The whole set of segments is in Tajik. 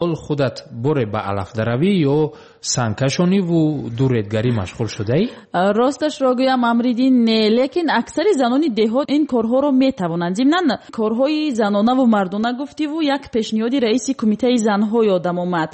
Худат боре ба алафдаравӣ ё сангкашониву дуредгарӣ машғул шудаӣ? Росташро гӯям, Амриддин, не, лекин аксари занони деҳот ин корҳоро метавонанд. Зимнан, корҳои занонаву мардона гуфтиву як пешниҳоди раиси кумитаи занҳо ёдам омад.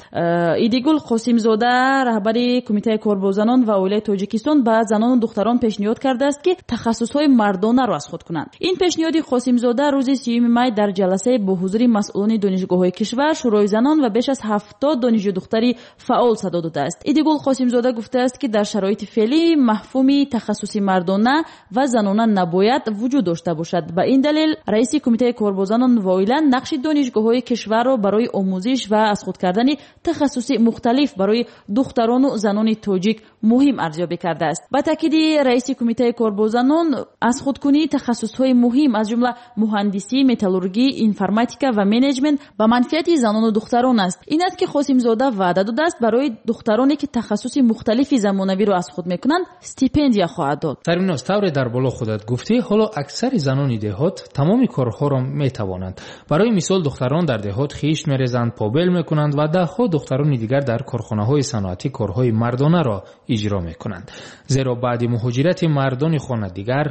Идигул Қосимзода, раҳбари кумитаи кор бо занон ва оилаи Тоҷикистон, ба занону духтарон пешниҳод кардааст, ки тахассусҳои мардонаро аз худ кунанд. Ин пешниҳоди Қосимзода рӯзи 30 май дар ҷаласае бо ҳузури масъулони донишгоҳҳои кишвар, шӯрои занон ва беш аз 70 донишҷӯ духтари фаъол садо додааст. Идигул Қосимзода гуфтааст, ки дар шароити феълӣ мафҳуми тахассуси мардона ва занона набояд вуҷуд дошта бошад. Ба ин далел раиси кумитаи кор бо занон ва оила нақши донишгоҳҳои кишварро барои омӯзиш ва аз худ кардани тахассуси мухталиф барои духтарону занони тоҷик муҳим арзёбӣ кардааст. Ба таъкиди раиси кумитаи кор бо занон, аз худкунии тахассусҳои муҳим, аз ҷумла муҳандисӣ, металлургӣ, информатика ва менеҷмент ба манфиати занону духтарон аст. Ин аст, ки Қосимзода ваъда додааст, барои духтароне, ки тахассуси мухталифи замонавиро аз худ мекунанд, стипендия хоҳад дод. Сарвиноз, тавре дар боло худат гуфтӣ, ҳоло аксари занони деҳот тамоми корҳоро метавонанд. Барои мисол, духтарон дар деҳот хишт мерезанд, побел мекунанд ва даҳҳо духтарони дигар дар корхонаҳои саноатӣ корҳои мардонаро иҷро мекунанд. Зеро баъди муҳоҷирати мардони хона дигар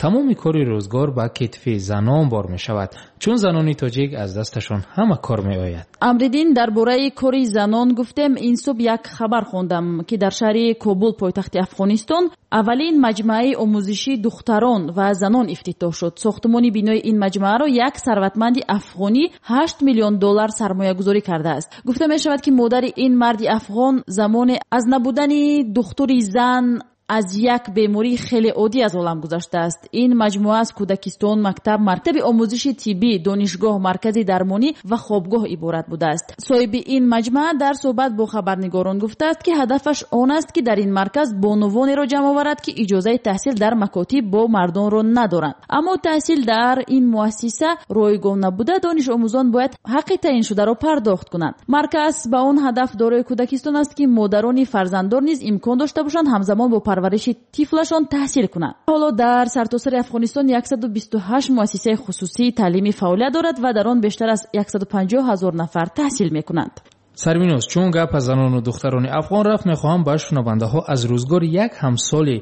тамоми кори рӯзгор ба китфи занон бор мешавад, чун занони тоҷик аз дасташон ҳама кор меояд. Амриддин, дар бораи кори занон гуфтем, ин субҳ як хабар хондам, ки дар шаҳри Кобул, пойтахти Афғонистон, аввалин маҷмӯаи омӯзишии духтарон ва занон ифтитоҳ шуд. Сохтумони бинои ин маҷмӯаро як сарватманди афғонӣ 8 миллион доллар сармоягузорӣ кардааст. Гуфта мешавад, ки модари ин марди афғон замоне аз набудани духтури зан аз як бемории хеле оддӣ аз олам гузаштааст. Ин маҷмӯа аз кӯдакистон, мактаб, мактаби омӯзиши тиббӣ, донишгоҳ, маркази дармонӣ ва хобгоҳ иборат будааст. Соҳиби ин маҷмӯа дар суҳбат бо хабарнигорон гуфтааст, ки ҳадафаш он аст, ки дар ин марказ бонувонеро ҷамъ оварад, ки иҷозаи таҳсил дар макотиб бо мардонро надоранд. Аммо таҳсил дар ин муассиса ройгон набуда, донишомӯзон бояд ҳаққи таъиншударо пардохт кунанд. Марказ ба он ҳадаф дорои кӯдакистон аст, ки модарони фарзанддор низ имкон дошта бошанд ҳамзамон бо парвариши тифлашон таҳсил кунанд. Ҳоло дар сартосари Афғонистон 128 муассисаи хусусии таълимӣ фаъолият дорад ва дар он бештар аз 150 ҳазор нафар таҳсил мекунанд. Сарвиноз, чун гап аз занону духтарони афғон рафт, мехоҳам ба шунавандаҳо аз рӯзгори як ҳамсоли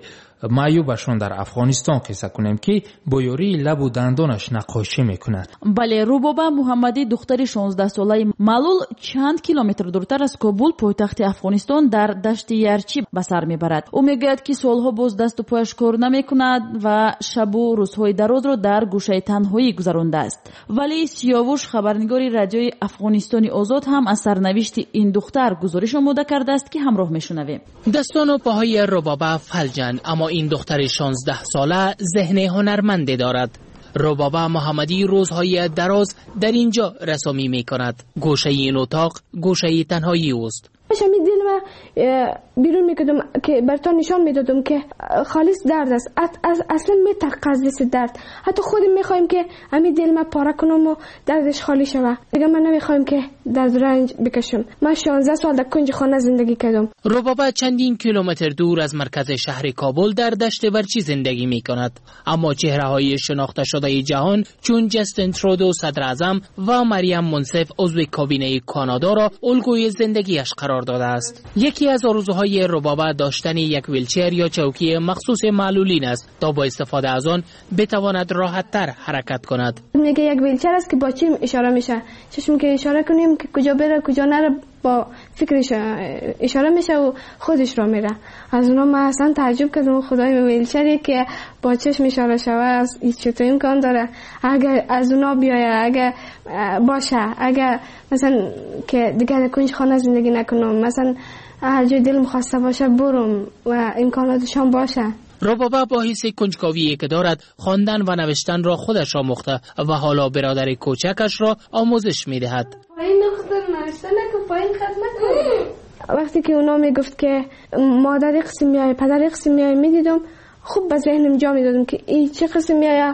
маъюбашон дар Афғонистон қисса кунем, ки бо ёрии лабу дандонаш наққошӣ мекунад. Бале, Рубоба Муҳаммадӣ, духтари 16-солаи маълул, чанд километр дуртар аз Кобул, пойтахти Афғонистон, дар дашти Ярчӣ ба сар мебарад. Ӯ мегӯяд, ки солҳо боз дасту пояш кор намекунад ва шабу рӯзҳои дарозро дар гӯшаи танҳоӣ гузарондааст. Вале Сиёвуш, хабарнигори радиои Афғонистони Озод, ҳам аз сарнавишти ин духтар гузориш омода кардааст, ки ҳамроҳ мешунавем. Дастону поҳои Рубоба фалҷанд, аммо ин духтари 16 сола зеҳни ҳунарманде дорад. Рубоба Муҳаммадӣ рӯзҳои дароз дар инҷо расомӣ мекунад. Гӯшаи ин утоқ гӯшаи танҳоии ӯст. Ҳамин дилма берун мекардам, ки бартон нишон медодам, ки холис дард аст. Аслан метарқад аз дасти дард. Ҳатто худам мехоҳем, ки ҳамин дилма пора кунам ва дардаш холӣ шавад. Дигар ман намехоҳем, ки дард ранҷ бикашам. Ман 16 сол дар кунҷи хона зиндагӣ кардам. Рубоба чандин километр дур аз маркази шаҳри Кобул дар дашти Варчӣ зиндагӣ мекунад. Аммо чеҳраҳои шинохташудаи ҷаҳон чун Ҷастин Трудо, садр-аъзам, ва Марям Мунсиф, узви кабинаи Канадоро алгӯи зиндагиаш қарор додааст. Яке аз орзуҳои Рубоба доштани як вилчер ё чавкии махсуси маълулин аст, то бо истифода аз он битавонад роҳаттар ҳаракат кунад. Мегӯяд, як вилчер аст, ки бо чим ишора мешавад. Чашм ки ишора кунем, ки куҷо бира, куҷо нара, бо фикр ишора мешавад ва худаш ро мере. Аз онҳо ман аслан таажжуб кардам. Худои, вилчере ки бо чашм ишора шавад, чطور امکان داره؟ اگر از اونا بیاید، اگر باشه، اگر مثلا که دیگه در کنج خانه زندگی نکنم، مثلا هر جای دلم خواسته باشه برم و امکاناتشان باشه. ربابه با حس کنجکاوی که دارد، خواندن و نوشتن را خودش آموخته و حالا برادر کوچکش را آموزش میدهد. وقتی که اونا میگفت که مادر قسم میای، پدر قسم میای، میدیدم خوب به ذهنم جا میدادم که این چه قسم میای،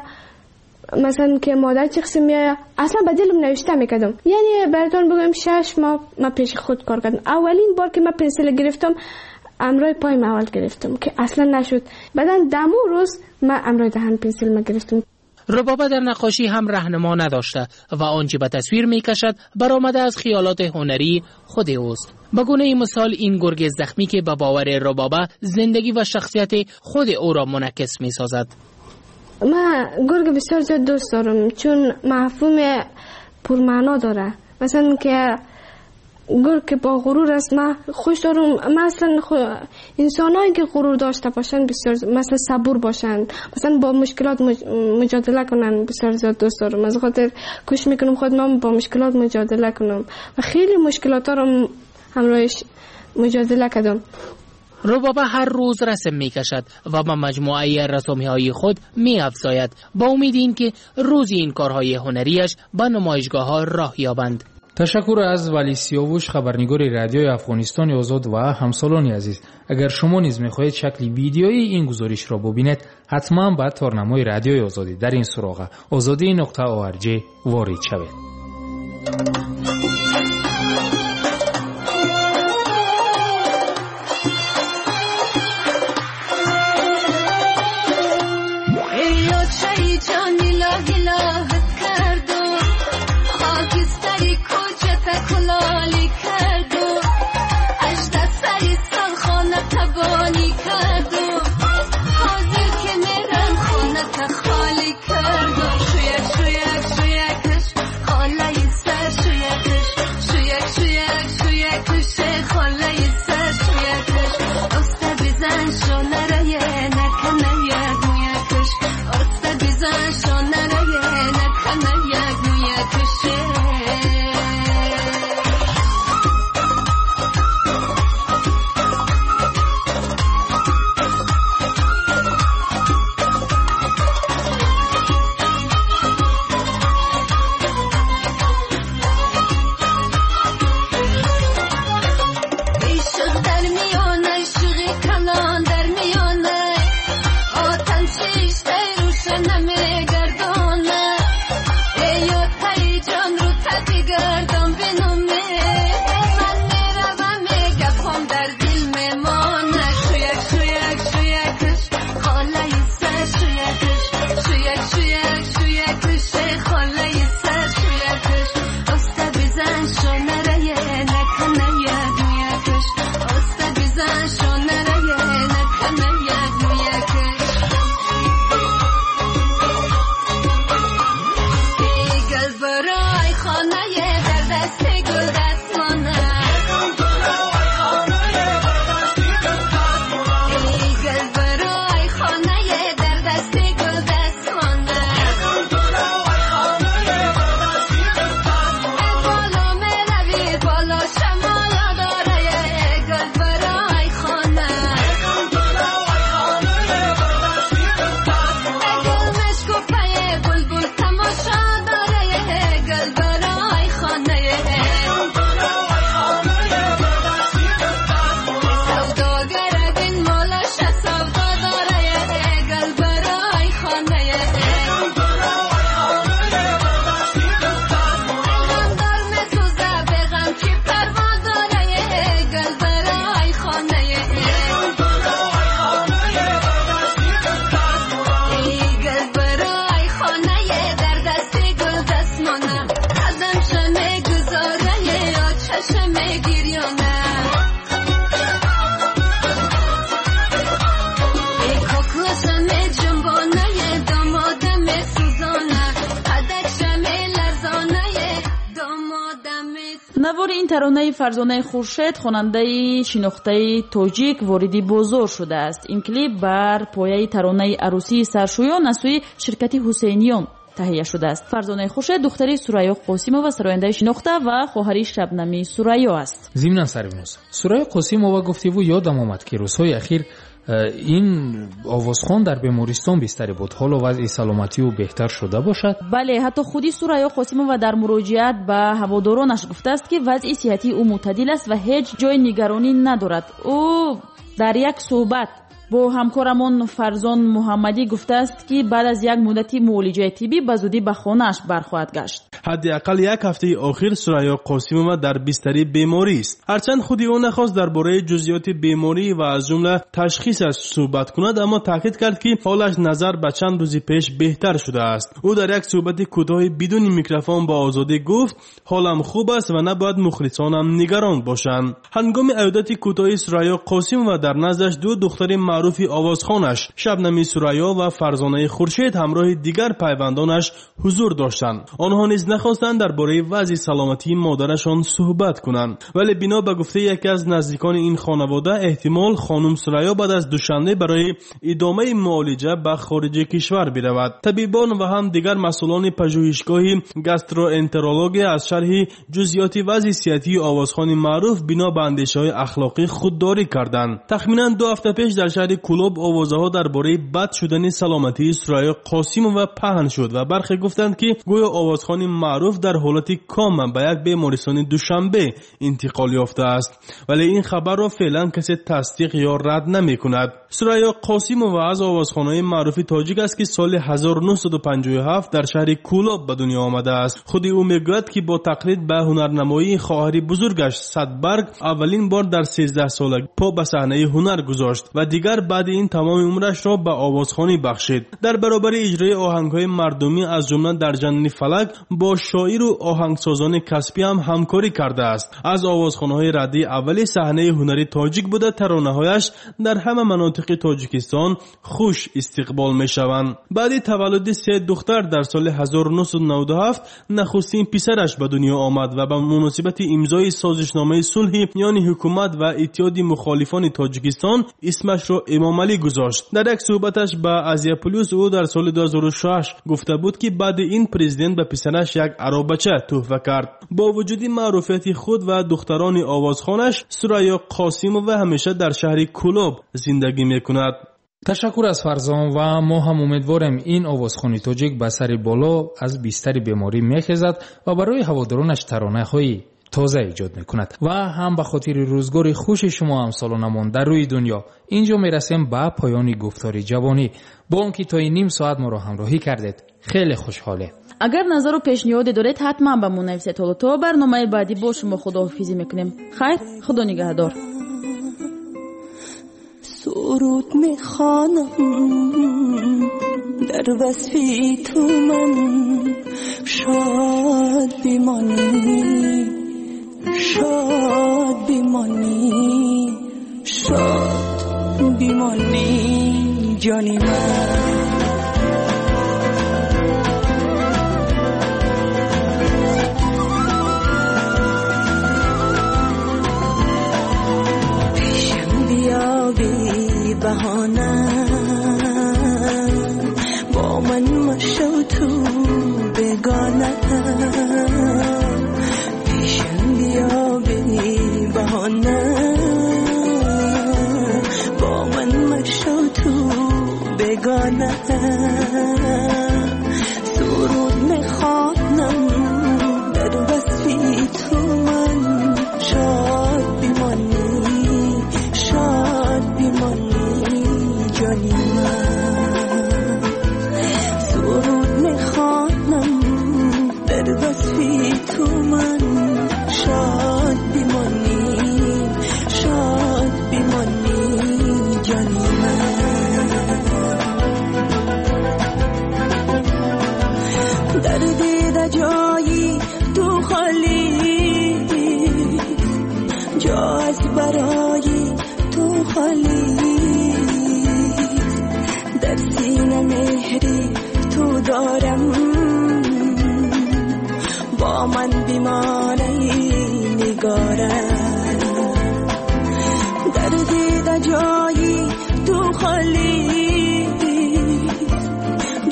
مثلا که مادر چه قسم میای. اصلا به دلم نوشته میکردم. یعنی براتون بگم، 6 ماه من پیش خود کار کردم. اولین بار که من پنسل گرفتم، امرای پایم اول گرفتم که اصلا نشد. بعدا دمو روز من امرای دهن پنسل ما گرفتم. ربابه در نقاشی هم رهنما نداشته و آنچه به تصویر میکشد برآمده از خیالات هنری خود اوست. به گونه مثال این گرگ زخمی که به باور ربابه زندگی و شخصیت خود او را منعکس میسازد. من گرگ بسیار زیاد دوست دارم چون مفهوم پرمعنا داره. مثلا که گرگ که با غرور است من خوش دارم. مثلا انسانایی که غرور داشته باشند بسیار مثلا صبور باشند، مثلا با مشکلات مجادله کنن بسیار زیاد دوست دارم. از خاطر کوشش میکنم خود من با مشکلات مجادله کنم و خیلی مشکلات رو همراهش مجادله کردم. ربابه هر روز رسم می کشد و به مجموعه رسامی های خود می افزاید با امید اینکه روزی این کارهای هنریش به نمایشگاه ها راه یابند. تشکر از ولی سیاوش، خبرنگار رادیوی افغانستان آزاد و همسالان عزیز. اگر شما نیز میخواهید شکل ویدیویی این گزارش را ببینید، حتما به تارنمای رادیوی آزادی در این سراغ ozodi.org وارد شوید. Навори ин таронаи Фарзонаи Хуршед, хонандаи шинохтаи тоҷик, вориди бозор шудааст. Ин клип бар пояи таронаи арӯсии саршӯён аз сӯи ширкати Ҳусейниён таҳия шудааст. Фарзонаи Хуршед духтари Сурайё Қосимова, сарояндаи шинохта ва хоҳари Шабнами Сурайё аст. Зимнан Сарвиноз, Сурайё Қосимова гуфтиву ёдам омад, ки рӯзҳои ахир ин овозхон дар бемористон бистарӣ буд. Ҳоло вазъи саломатии ӯ беҳтар шуда бошад? Бале, ҳатто худи Сурайё Қосимова дар муроҷиат ба ҳаводоронаш гуфтааст, ки вазъи сиҳатии ӯ мӯътадил аст ва ҳеҷ ҷои нигаронӣ надорад. Ӯ дар як суҳбат бо ҳамкорамон Фарзон Муҳаммадӣ гуфтааст, ки баъд аз як муддати муолиҷаи тиббӣ ба зудӣ ба хонааш бархоҳад гашт. Ҳадди ақал як ҳафтаи охир Сурайё Қосимова дар бистари беморӣ аст. Ҳарчанд худи ӯ нахост дар бораи ҷузъиёти беморӣ ва аз ҷумла ташхисаш суҳбат кунад, аммо таъкид кард, ки ҳолаш назар ба чанд рӯзи пеш беҳтар шудааст. Ӯ дар як суҳбати кӯтоҳи бидуни микрофон ба Озодӣ гуфт: ҳолам хуб аст ва набояд мухлисонам нигарон бошанд. Ҳангоми аёдати кӯтоҳи Сурайё Қосимова дар наздаш ду духтари маъруфи овозхонаш Шабнами Сурайё ва Фарзонаи Хуршед ҳамроҳи дигар пайвандонаш ҳузур доштанд. Онҳо низ нахостанд дар бораи вазъи саломатии модарашон суҳбат кунанд. Вале бино ба гуфтаи яке аз наздикони ин хонавода, эҳтимол хонум Сурайё баъд аз Душанбе барои идомаи муолиҷа ба хориҷи кишвар биравад. Табибон ва ҳам дигар масъулони пажӯҳишгоҳи гастроэнтерология аз шарҳи ҷузъиёти вазъи сиҳатии овозхони маъруф бино ба андешаҳои ахлоқӣ худдорӣ карданд. Тахминан 2 ҳафта пеш дар шаҳри Кӯлоб овозаҳо дар бораи бад шудани саломатии Сурайё Қосимова паҳн шуд ва бархе гуфтанд, ки гӯё овозхони маъруф дар ҳолати кома ба як бемористони Душанбе интиқол ёфтааст. Вале ин хабарро феълан касе тасдиқ ё рад намекунад. Сурайё Қосимова аз овозхонаи маъруфи тоҷик аст, ки соли 1957 дар шаҳри Кӯлоб ба дунё омадааст. Худи ӯ мегӯяд, ки бо тақлид ба ҳунарнамоии хоҳари бузургаш Садбарг аввалин бор дар 13 солагӣ по ба саҳнаи ҳунар гузошт ва дигар баъди ин тамоми умрашро ба овозхонӣ бахшид. Дар баробари иҷрои оҳангҳои мардумӣ аз ҷумла дар жанри фалак бо шоиру оҳангсозони касбӣ ҳам ҳамкорӣ кардааст. Аз овозхонаҳои раддии аввали саҳнаи ҳунари тоҷик буда, таронаҳояш дар ҳама манотиқи Тоҷикистон хуш истиқбол мешаванд. Баъди таваллуди 3 духтар дар соли 1997 нахустин писараш ба дунё омад ва ба муносибати имзои созишномаи сулҳи миёни ҳукумат ва иттиҳоди мухолифони Тоҷикистон исмашро Эмомалӣ гузошт. Дар як суҳбаташ ба Азия Плюс ӯ дар соли 2006 гуфта буд, ки баъди ин президент ба писараш як аробача тӯҳфа кард. Бо вуҷуди маъруфияти худ ва духтарони овозхонаш, Сурайё Қосимова ҳамеша дар шаҳри Кӯлоб зиндагӣ мекунад. Ташаккур аз Фарзон ва мо ҳам умедворем ин овозхони тоҷик ба сари боло аз бистари беморӣ мехезад ва барои ҳаводоронаш таронаҳои тоза эҷод мекунад ва ҳам ба хотири рӯзгори хуши шумо ҳамсолонамон дар рӯи дунё. Инҷо мерасем ба поёни гуфтори ҷавонӣ. Бо он ки то ин ним соат моро ҳамроҳӣ кардед, хеле хушҳолем. Агар назару пешниҳоде доред, ҳатман ба мо нависед. Ҳоло то барномаи баъдӣ бо шумо худоҳофизӣ мекунем. Хайр, худо нигаҳдор. Суруд мехонам дар васфи ту ман, шод бимонӣ, шод бимонӣ, шод бимонӣ ҷони ман. پیشم بیا بی بهانه، با من مشو تو بگانه. پیشم بیا بی بهانه، با من مشو تو بگانه. سرود میخوانم در وصفی تو من، شاد بمانی، شاد بمانی جانی من. سرود میخوانم در وصفی تو من، شاد بمانی، شاد بمانی جانی من. در دیده جایی تو خالی، جا از برای تو خالی. در سینه مهری تو دارم، با من بیمانه نگارم. در دیده جایی تو خالی،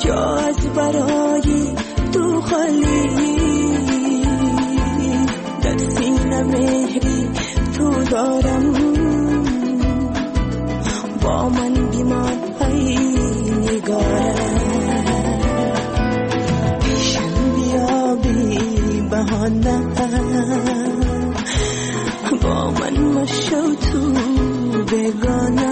جا از برای تو خالی. در سینه مهری تو دارم، با من بیمان ای نگارم. پیشم بیا بی بهانه، با من مشو تو بگانه.